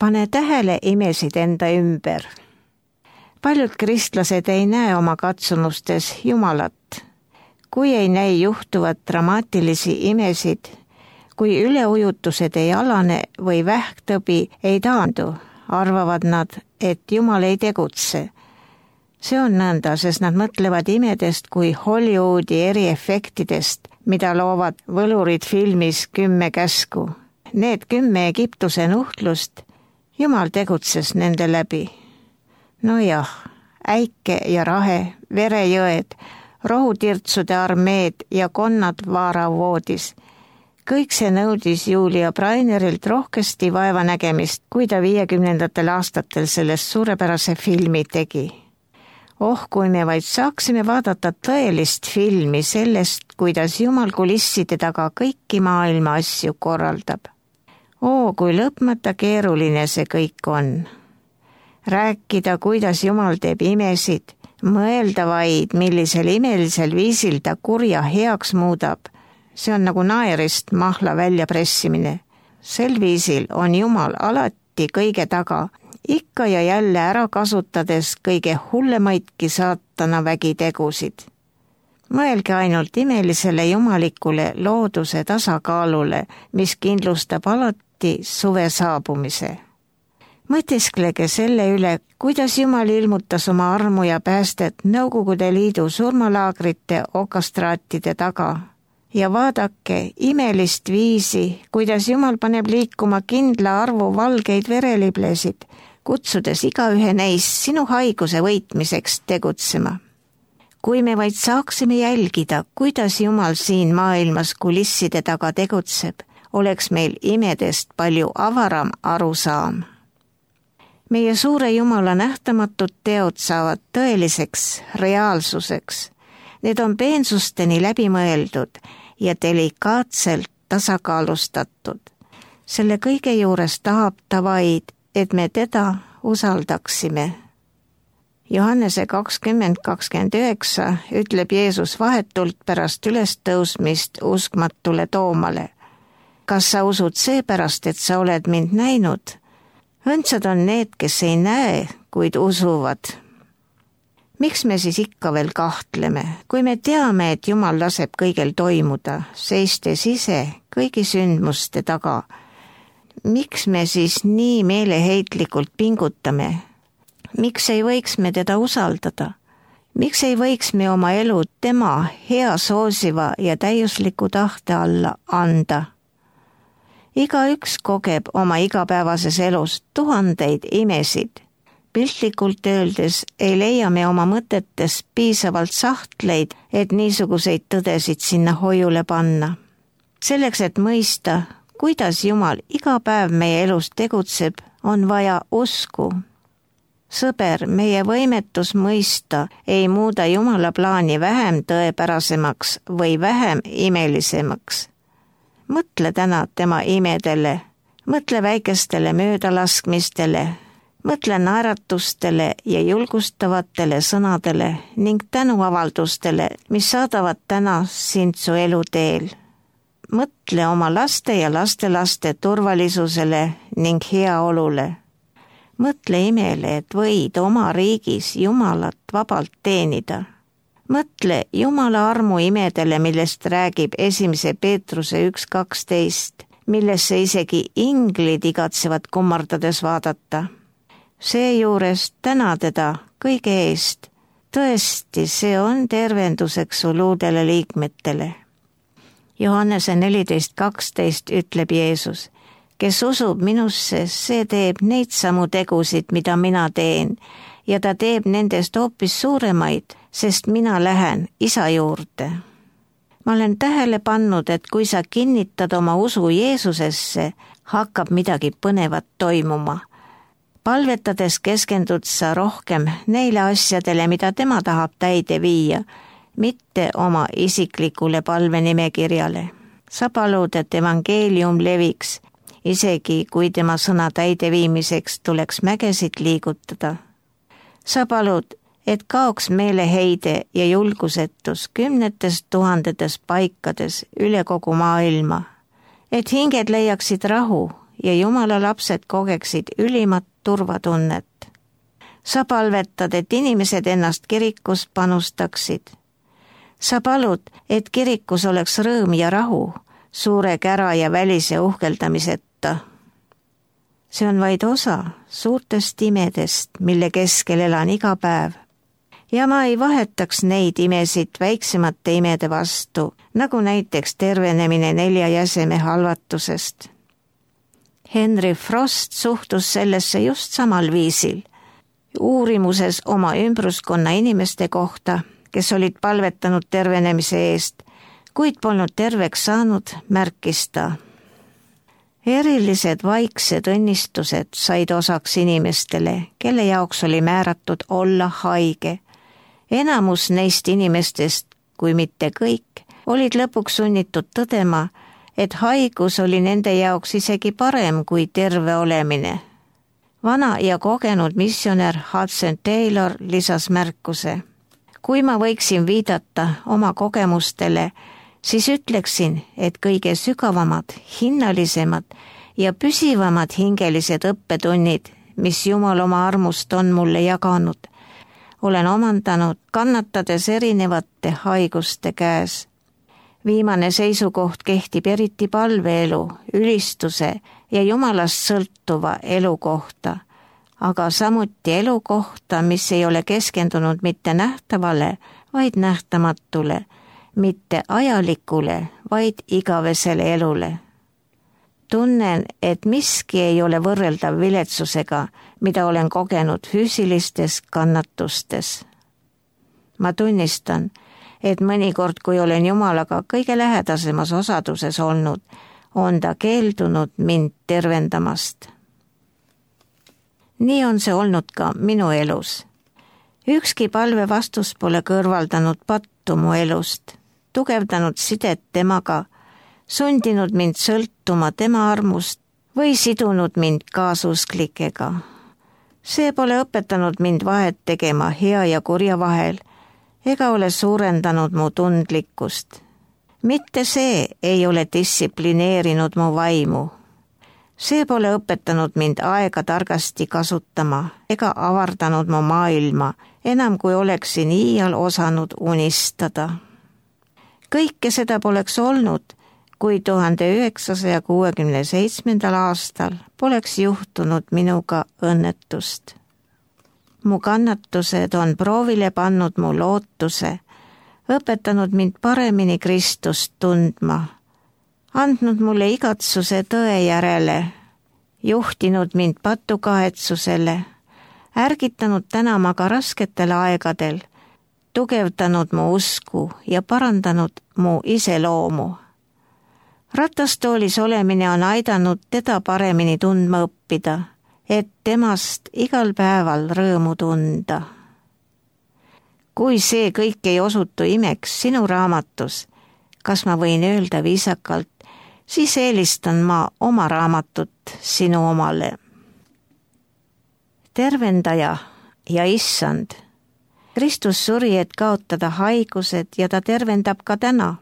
Pane tähele imesid enda ümber. Paljud kristlased ei näe oma katsumustes Jumalat. Kui ei näi juhtuvat dramaatilisi imesid, kui üleujutused ei alane või vähktõbi ei taandu, arvavad nad, et Jumal ei tegutse. See on nõnda, sest nad mõtlevad imedest kui Hollywoodi eriefektidest, mida loovad võlurid filmis 10 käsku. Need 10 Egiptuse nuhtlust, Jumal tegutses nende läbi. Nojah, äike ja rahe, verejõed, rohutirtsude armeed ja konnad vaaravoodis. Kõik see nõudis Julia Brainerilt rohkesti vaevanägemist, kui ta 50. aastatel sellest suurepärase filmi tegi. Kui me vaid saaksime vaadata tõelist filmi sellest, kuidas Jumal kulisside taga kõiki maailma asju korraldab. Kui lõpmata keeruline see kõik on. Rääkida, kuidas Jumal teeb imesid, mõelda vaid, millisel imelisel viisil ta kurja heaks muudab. See on nagu naerist mahla väljapressimine. Sel viisil on Jumal alati kõige taga, ikka ja jälle ära kasutades kõige hullemaidki saatana vägitegusid. Mõelge ainult imelisele jumalikule looduse tasakaalule, mis kindlustab alati suve saabumise. Mõtisklege selle üle, kuidas Jumal ilmutas oma armu ja päästet Nõukogude Liidu surmalaagrite okastraatide taga. Ja vaadake imelist viisi, kuidas Jumal paneb liikuma kindla arvu valgeid vereliblesid, kutsudes igaühe neist sinu haiguse võitmiseks tegutsema. Kui me vaid saaksime jälgida, kuidas Jumal siin maailmas kulisside taga tegutseb, oleks meil imedest palju avaram arusaam. Meie suure Jumala nähtamatud teod saavad tõeliseks reaalsuseks. Need on peensusteni läbi mõeldud ja delikaatselt tasakaalustatud. Selle kõige juures tahab ta vaid, et me teda usaldaksime. Johannese 20:29 ütleb Jeesus vahetult pärast ülestõusmist uskmatule Toomale. Kas sa usud seepärast, et sa oled mind näinud? Õndsad on need, kes ei näe, kuid usuvad. Miks me siis ikka veel kahtleme, kui me teame, et Jumal laseb kõigel toimuda, seistes ise kõigi sündmuste taga? Miks me siis nii meeleheitlikult pingutame? Miks ei võiks me teda usaldada? Miks ei võiks me oma elu tema hea soosiva ja täiusliku tahte alla anda? Igaüks kogeb oma igapäevases elus tuhandeid imesid. Piltlikult öeldes ei leia me oma mõtetes piisavalt sahtleid, et niisuguseid tõdesid sinna hoiule panna. Selleks, et mõista, kuidas Jumal iga päev meie elus tegutseb, on vaja usku. Sõber, meie võimetus mõista ei muuda Jumala plaani vähem tõepärasemaks või vähem imelisemaks. Mõtle täna tema imedele, mõtle väikestele möödalaskmistele, mõtle naeratustele ja julgustavatele sõnadele ning tänuavaldustele, mis saadavad täna sind su eluteel. Mõtle oma laste ja lastelaste turvalisusele ning heaolule. Mõtle imele, et võid oma riigis Jumalat vabalt teenida. Mõtle Jumala armu imedele, millest räägib 1. Peetruse 1:12, millesse isegi inglid igatsevad kummardades vaadata. Seejuures täna teda kõige eest. Tõesti, see on tervenduseks su luudele liikmetele. Johannese 14:12 ütleb Jeesus, kes usub minusse, see teeb neid samu tegusid, mida mina teen, ja ta teeb nendest hoopis suuremaid, sest mina lähen Isa juurde. Ma olen tähele pannud, et kui sa kinnitad oma usu Jeesusesse, hakkab midagi põnevat toimuma. Palvetades keskendud sa rohkem neile asjadele, mida tema tahab täide viia, mitte oma isiklikule palvenimekirjale. Sa palud, et evangeelium leviks, isegi kui tema sõna täideviimiseks tuleks mägesid liigutada. Sa palud, et kaoks meeleheide ja julgusetus 10 000 paikades üle kogu maailma, et hinged leiaksid rahu ja Jumala lapsed kogeksid ülimat turvatunnet. Sa palvetad, et inimesed ennast kirikus panustaksid. Sa palud, et kirikus oleks rõõm ja rahu, suure kära ja välise uhkeldamiseta. See on vaid osa suurtest imedest, mille keskel elan iga päev. Ja ma ei vahetaks neid imesid väiksemate imede vastu, nagu näiteks tervenemine 4 jäseme halvatusest. Henry Frost suhtus sellesse just samal viisil. Uurimuses oma ümbruskonna inimeste kohta, kes olid palvetanud tervenemise eest, kuid polnud terveks saanud, märkis ta. Erilised vaiksed õnnistused said osaks inimestele, kelle jaoks oli määratud olla haige. Enamus neist inimestest, kui mitte kõik, olid lõpuks sunnitud tõdema, et haigus oli nende jaoks isegi parem kui terve olemine. Vana ja kogenud missionär Hudson Taylor lisas märkuse. Kui ma võiksin viidata oma kogemustele, siis ütleksin, et kõige sügavamad, hinnalisemad ja püsivamad hingelised õppetunnid, mis Jumal oma armust on mulle jaganud, olen omandanud kannatades erinevate haiguste käes. Viimane seisukoht kehtib eriti palveelu, ülistuse ja Jumalast sõltuva elu kohta, aga samuti elu kohta, mis ei ole keskendunud mitte nähtavale, vaid nähtamatule, mitte ajalikule, vaid igavesele elule. Tunnen, et miski ei ole võrreldav viletsusega, mida olen kogenud füüsilistes kannatustes. Ma tunnistan, et mõnikord, kui olen Jumalaga kõige lähedasemas osaduses olnud, on ta keeldunud mind tervendamast. Nii on see olnud ka minu elus. Ükski palve vastus pole kõrvaldanud pattu mu elust, tugevdanud sidet temaga, sundinud mind sõltuma tema armust või sidunud mind kaasusklikega. See pole õpetanud mind vahet tegema hea ja kurja vahel, ega ole suurendanud mu tundlikkust. Mitte see ei ole distsiplineerinud mu vaimu. See pole õpetanud mind aega targasti kasutama ega avardanud mu maailma, enam kui oleksin iial osanud unistada. Kõike seda poleks olnud, kui 1967. aastal poleks juhtunud minuga õnnetust. Mu kannatused on proovile pannud mu lootuse, õpetanud mind paremini Kristust tundma, andnud mulle igatsuse tõe järele, juhtinud mind patukahetsusele, ärgitanud tänama ka rasketel aegadel, tugevdanud mu usku ja parandanud mu iseloomu. Ratastoolis olemine on aidanud teda paremini tundma õppida, et temast igal päeval rõõmu tunda. Kui see kõik ei osutu imeks sinu raamatus, kas ma võin öelda viisakalt, siis eelistan ma oma raamatut sinu omale. Tervendaja ja issand. Kristus suri, et kaotada haigused ja ta tervendab ka täna,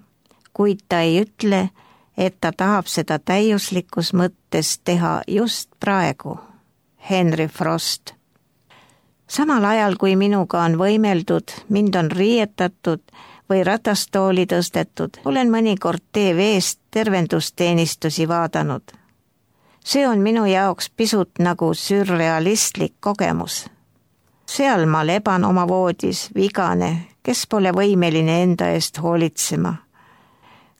kuid ta ei ütle, et ta tahab seda täiuslikus mõttes teha just praegu. Henry Frost. Samal ajal, kui minuga on võimeldud, mind on riietatud või ratastooli tõstetud, olen mõnikord TV-st tervendusteenistusi vaadanud. See on minu jaoks pisut nagu sürrealistlik kogemus. Seal ma leban oma voodis vigane, kes pole võimeline enda eest hoolitsema.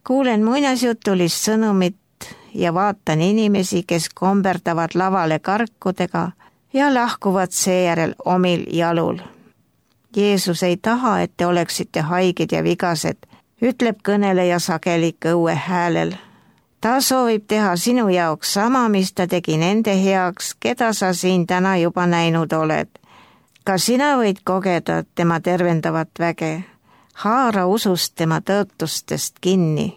Kuulen muinasjutulist sõnumit ja vaatan inimesi, kes komberdavad lavale karkudega ja lahkuvad seejärel omil jalul. Jeesus ei taha, et te oleksite haiged ja vigased, ütleb kõneleja sageli kõue häälel. Ta soovib teha sinu jaoks sama, mis ta tegi nende heaks, keda sa siin täna juba näinud oled. Ka sina võid kogeda tema tervendavat väge. Haara usust tema tõotustest kinni.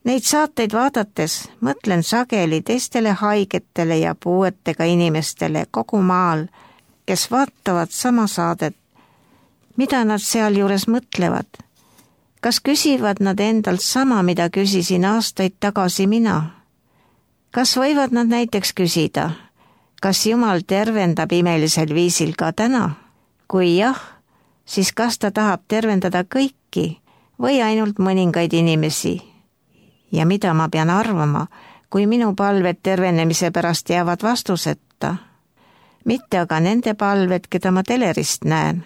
Neid saateid vaadates mõtlen sageli teistele haigetele ja puuetega inimestele kogu maal, kes vaatavad sama saadet. Mida nad sealjuures mõtlevad? Kas küsivad nad endalt sama, mida küsisin aastaid tagasi mina? Kas võivad nad näiteks küsida, kas Jumal tervendab imelisel viisil ka täna? Kui jah, siis kas ta tahab tervendada kõiki või ainult mõningaid inimesi? Ja mida ma pean arvama, kui minu palved tervenemise pärast jäävad vastuseta? Mitte aga nende palved, keda ma telerist näen.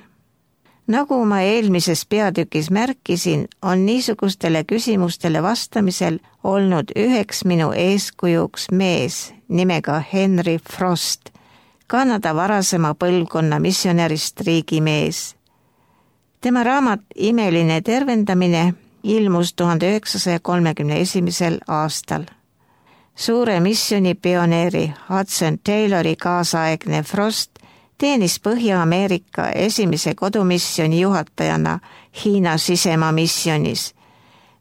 Nagu ma eelmises peatükis märkisin, on niisugustele küsimustele vastamisel olnud üheks minu eeskujuks mees nimega Henry Frost, Kanada varasema põlvkonna missionärist riigimees. Tema raamat Imeline tervendamine ilmus 1931. aastal. Suure missioni pioneeri Hudson Taylori kaasaegne Frost teenis Põhja-Ameerika esimese kodumisjoni juhatajana Hiina sisemaa missionis,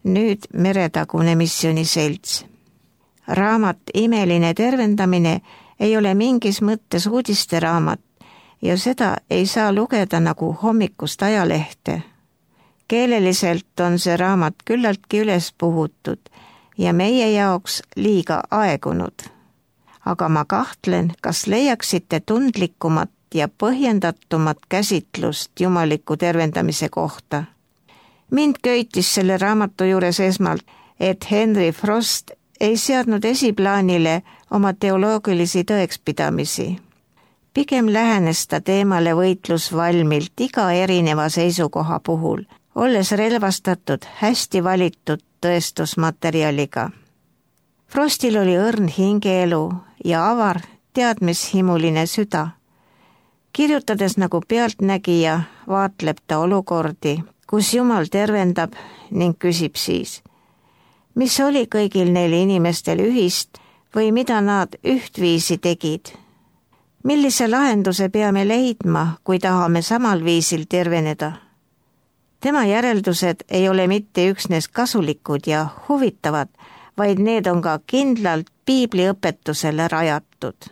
nüüd Meretagune missiooniselts. Raamat Imeline tervendamine ei ole mingis mõttes uudisteraamat ja seda ei saa lugeda nagu hommikust ajalehte. Keeleliselt on see raamat küllaltki üles puhutud ja meie jaoks liiga aegunud. Aga ma kahtlen, kas leiaksite tundlikumat ja põhjendatumat käsitlust jumaliku tervendamise kohta. Mind köitis selle raamatu juures esmalt, et Henry Frost ei seadnud esiplaanile oma teoloogilisi tõekspidamisi. Pigem lähenes ta teemale võitlusvalmilt iga erineva seisukoha puhul, olles relvastatud hästi valitud tõestusmaterjaliga. Frostil oli õrn hingeelu ja avar teadmishimuline süda. Kirjutades nagu pealtnägija, vaatleb ta olukordi, kus Jumal tervendab ning küsib siis, mis oli kõigil neil inimestel ühist või mida nad ühtviisi tegid. Millise lahenduse peame leidma, kui tahame samal viisil terveneda? Tema järeldused ei ole mitte üksnes kasulikud ja huvitavad, vaid need on ka kindlalt piibliõpetusele rajatud.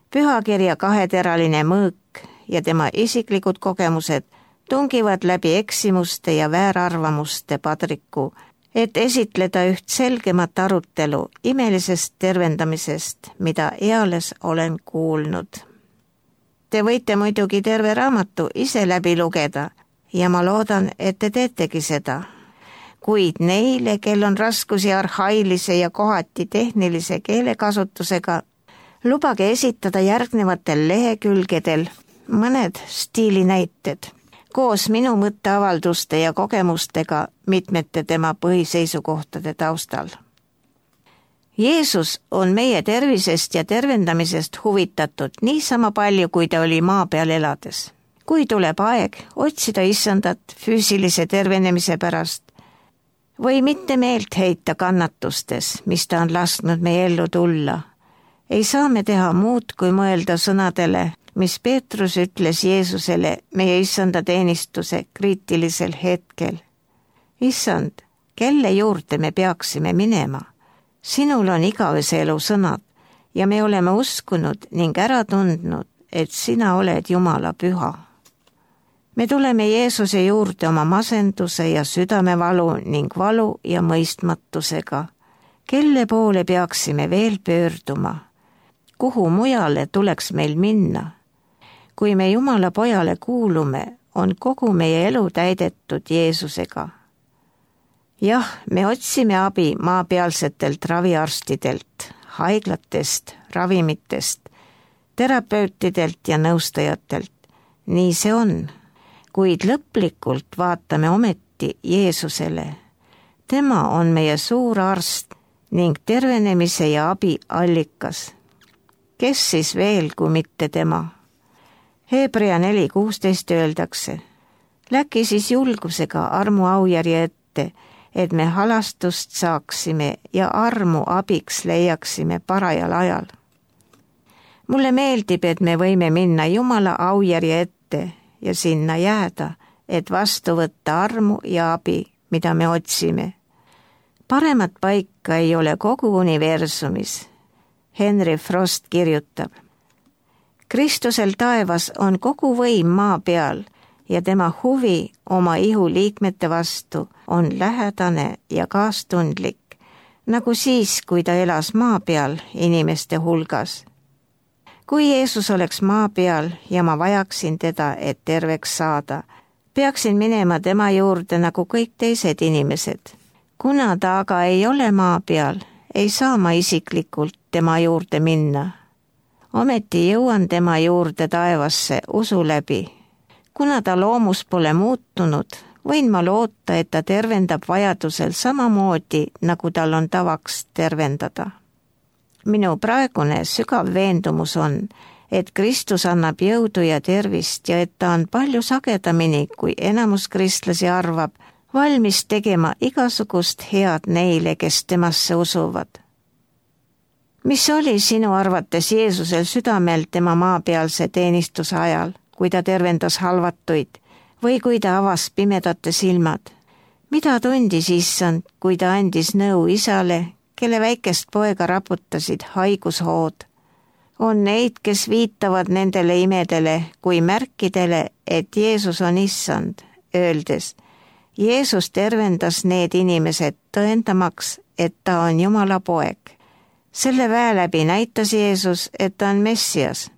Pühakirja kaheteraline mõõk ja tema isiklikud kogemused tungivad läbi eksimuste ja väärarvamuste padriku, et esitleda üht selgemat arutelu imelisest tervendamisest, mida eales olen kuulnud. Te võite muidugi terve raamatu ise läbi lugeda ja ma loodan, et te teetegi seda. Kuid neile, kel on raskusi arhailise ja kohati tehnilise keelekasutusega, lubage esitada järgnevatel lehekülgedel mõned stiilinäited, koos minu mõtteavalduste ja kogemustega mitmete tema põhiseisukohtade taustal. Jeesus on meie tervisest ja tervendamisest huvitatud niisama palju, kui ta oli maa peal elades. Kui tuleb aeg otsida issandat füüsilise tervenemise pärast või mitte meelt heita kannatustes, mis ta on lasknud meie ellu tulla, ei saa me teha muud, kui mõelda sõnadele, mis Peetrus ütles Jeesusele meie issanda teenistuse kriitilisel hetkel. Issand, kelle juurde me peaksime minema? Sinul on igavese elu sõnad ja me oleme uskunud ning ära tundnud, et sina oled Jumala püha. Me tuleme Jeesuse juurde oma masenduse ja südamevalu ning valu ja mõistmatusega. Kelle poole peaksime veel pöörduma? Kuhu mujale tuleks meil minna? Kui me Jumala pojale kuulume, on kogu meie elu täidetud Jeesusega. Jah, me otsime abi maapealsetelt raviarstidelt, haiglatest, ravimitest, terapeutidelt ja nõustajatelt. Nii see on, kuid lõplikult vaatame ometi Jeesusele. Tema on meie suur arst ning tervenemise ja abi allikas. Kes siis veel, kui mitte tema? Hebrea 4:16 öeldakse, läki siis julgusega armu aujärje ette, et me halastust saaksime ja armu abiks leiaksime parajal ajal. Mulle meeldib, et me võime minna Jumala aujärje ette ja sinna jääda, et vastu võtta armu ja abi, mida me otsime. Paremat paika ei ole kogu universumis. Henry Frost kirjutab, Kristusel taevas on kogu võim maa peal ja tema huvi oma ihu liikmete vastu on lähedane ja kaastundlik, nagu siis, kui ta elas maa peal inimeste hulgas. Kui Jeesus oleks maa peal ja ma vajaksin teda, et terveks saada, peaksin minema tema juurde nagu kõik teised inimesed. Kuna ta aga ei ole maa peal, ei saa ma isiklikult tema juurde minna. Ometi jõuan tema juurde taevasse usu läbi. Kuna ta loomus pole muutunud, võin ma loota, et ta tervendab vajadusel samamoodi, nagu tal on tavaks tervendada. Minu praegune sügav veendumus on, et Kristus annab jõudu ja tervist ja et ta on palju sagedamini, kui enamus kristlasi arvab, valmis tegema igasugust head neile, kes temasse usuvad. Mis oli sinu arvates Jeesusel südamel tema maapealse teenistuse ajal, kui ta tervendas halvatuid või kui ta avas pimedate silmad? Mida tundis Issand, kui ta andis nõu isale, kelle väikest poega raputasid haigushood? On neid, kes viitavad nendele imedele kui märkidele, et Jeesus on Issand, öeldes, Jeesus tervendas need inimesed tõendamaks, et ta on Jumala poeg. Selle väe läbi näitas Jeesus, et ta on Messias.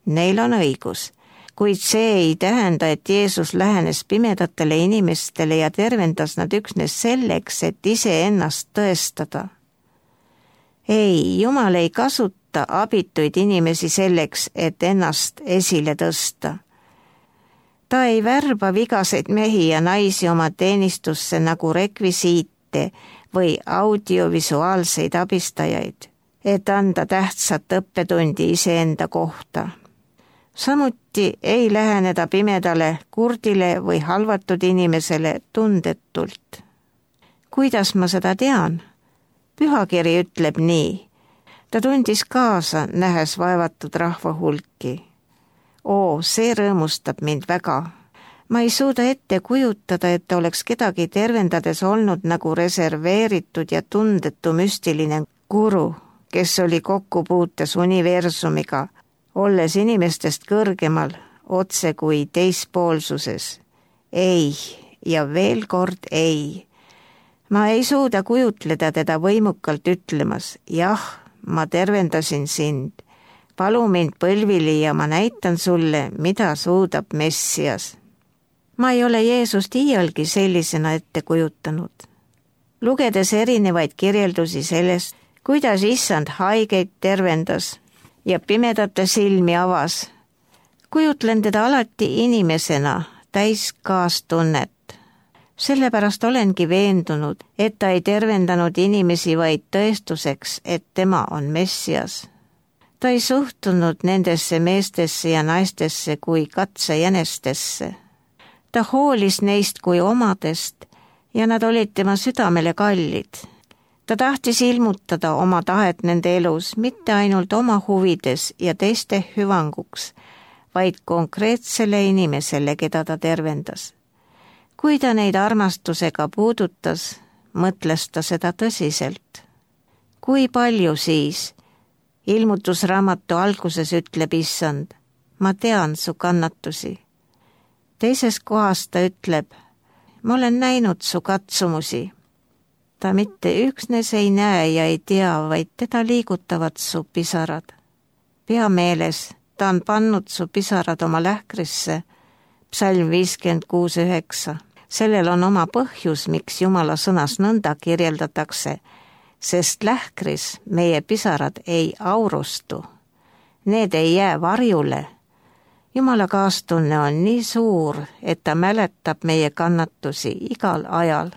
Neil on õigus, kuid see ei tähenda, et Jeesus lähenes pimedatele inimestele ja tervendas nad üksnes selleks, et iseennast tõestada. Ei, Jumal ei kasuta abituid inimesi selleks, et ennast esile tõsta. Ta ei värba vigaseid mehi ja naisi oma teenistusse nagu rekvisiite või audiovisuaalseid abistajaid, et anda tähtsat õppetundi iseenda kohta. Samuti ei läheneda pimedale, kurdile või halvatud inimesele tundetult. Kuidas ma seda tean? Pühakiri ütleb nii. Ta tundis kaasa, nähes vaevatud rahva hulki. See rõõmustab mind väga. Ma ei suuda ette kujutada, et oleks kedagi tervendades olnud nagu reserveeritud ja tundetu müstiline guru, kes oli kokkupuutes universumiga, olles inimestest kõrgemal, otse kui teispoolsuses. Ei, ja veel kord ei. Ma ei suuda kujutleda teda võimukalt ütlemas, jah, ma tervendasin sind. Palu mind põlvili ja ma näitan sulle, mida suudab Messias. Ma ei ole Jeesust iialgi sellisena ette kujutanud. Lugedes erinevaid kirjeldusi sellest, kuidas Issand haigeid tervendas ja pimedate silmi avas, kujutlen teda alati inimesena täis kaastunnet. Sellepärast olengi veendunud, et ta ei tervendanud inimesi vaid tõestuseks, et tema on Messias. Ta ei suhtunud nendesse meestesse ja naistesse kui katsejänestesse. Ta hoolis neist kui omadest ja nad olid tema südamele kallid. Ta tahtis ilmutada oma tahet nende elus mitte ainult oma huvides ja teiste hüvanguks, vaid konkreetsele inimesele, keda ta tervendas. Kui ta neid armastusega puudutas, mõtles ta seda tõsiselt. Kui palju siis? Ilmutusraamatu alguses ütleb Issand, ma tean su kannatusi. Teises kohas ta ütleb, ma olen näinud su katsumusi. Ta mitte üksnes ei näe ja ei tea, vaid teda liigutavad su pisarad. Pea meeles, ta on pannud su pisarad oma lähkrisse, Psalm 56:9. Sellel on oma põhjus, miks Jumala sõnas nõnda kirjeldatakse, sest lähkris meie pisarad ei aurustu. Need ei jää varjule. Jumala kaastunne on nii suur, et ta mäletab meie kannatusi igal ajal.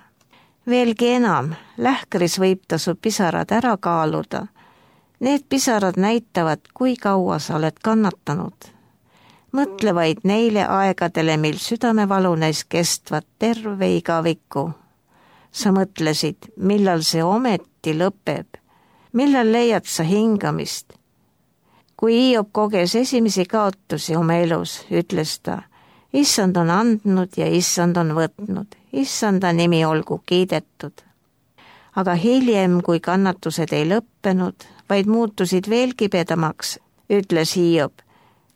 Veelgi enam, lähkris võib ta su pisarad ära kaaluda. Need pisarad näitavad, kui kaua sa oled kannatanud. Mõtle vaid neile aegadele, mil südamevalu näis kestvat terve igaviku. Sa mõtlesid, millal see ometi lõpeb, millal leiad sa hingamist. Kui Hiob koges esimesi kaotusi oma elus, ütles ta, Issand on andnud ja Issand on võtnud, Issanda nimi olgu kiidetud. Aga hiljem, kui kannatused ei lõppenud, vaid muutusid veel kibedamaks, ütles Hiob,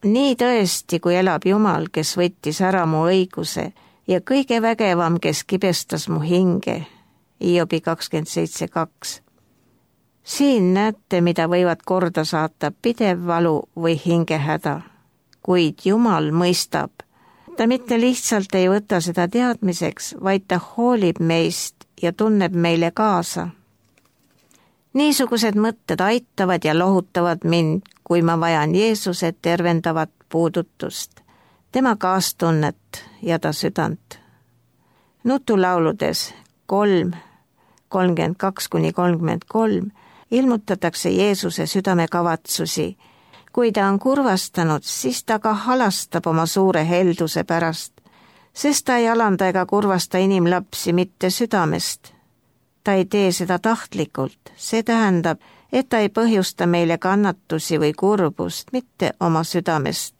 nii tõesti, kui elab Jumal, kes võttis ära mu õiguse ja kõige vägevam, kes kibestas mu hinge. Hiobi 27:2. Siin näete, mida võivad korda saata pidev valu või hingehäda, kuid Jumal mõistab. Ta mitte lihtsalt ei võta seda teadmiseks, vaid ta hoolib meist ja tunneb meile kaasa. Niisugused mõtted aitavad ja lohutavad mind, kui ma vajan Jeesuse tervendavat puudutust, tema kaastunnet ja ta südant. Nutulauludes 3:32-33 ilmutatakse Jeesuse südamekavatsusi. Kui ta on kurvastanud, siis ta ka halastab oma suure helduse pärast, sest ta ei alanda ega kurvasta inimlapsi mitte südamest. Ta ei tee seda tahtlikult, see tähendab, et ta ei põhjusta meile kannatusi või kurbust, mitte oma südamest.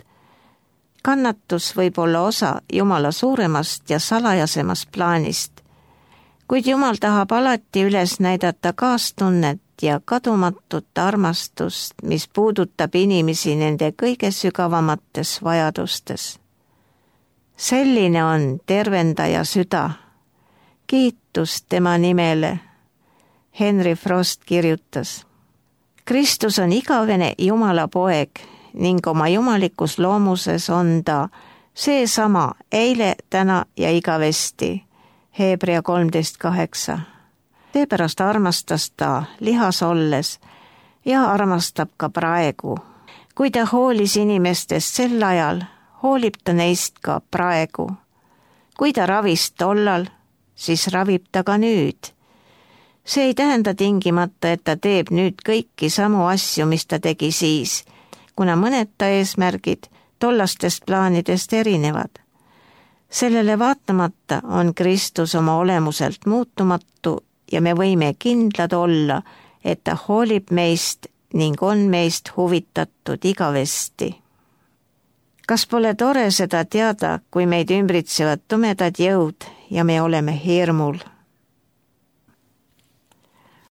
Kannatus võib olla osa Jumala suuremast ja salajasemast plaanist, kuid Jumal tahab alati üles näidata kaastunnet ja kadumatut armastust, mis puudutab inimesi nende kõige sügavamates vajadustes. Selline on tervendaja süda. Kiitus tema nimele. Henry Frost kirjutas. Kristus on igavene Jumala poeg ning oma jumalikus loomuses on ta seesama eile, täna ja igavesti. Hebra 13:8. Seepärast armastas ta lihas olles ja armastab ka praegu. Kui ta hoolis inimestest sel ajal, hoolib ta neist ka praegu. Kui ta ravis tollal, siis ravib ta ka nüüd. See ei tähenda tingimata, et ta teeb nüüd kõiki samu asju, mis ta tegi siis, kuna mõned ta eesmärgid tollastest plaanidest erinevad. Sellele vaatamata on Kristus oma olemuselt muutumatu ja me võime kindlad olla, et ta hoolib meist ning on meist huvitatud igavesti. Kas pole tore seda teada, kui meid ümbritsevad tumedad jõud ja me oleme hirmul?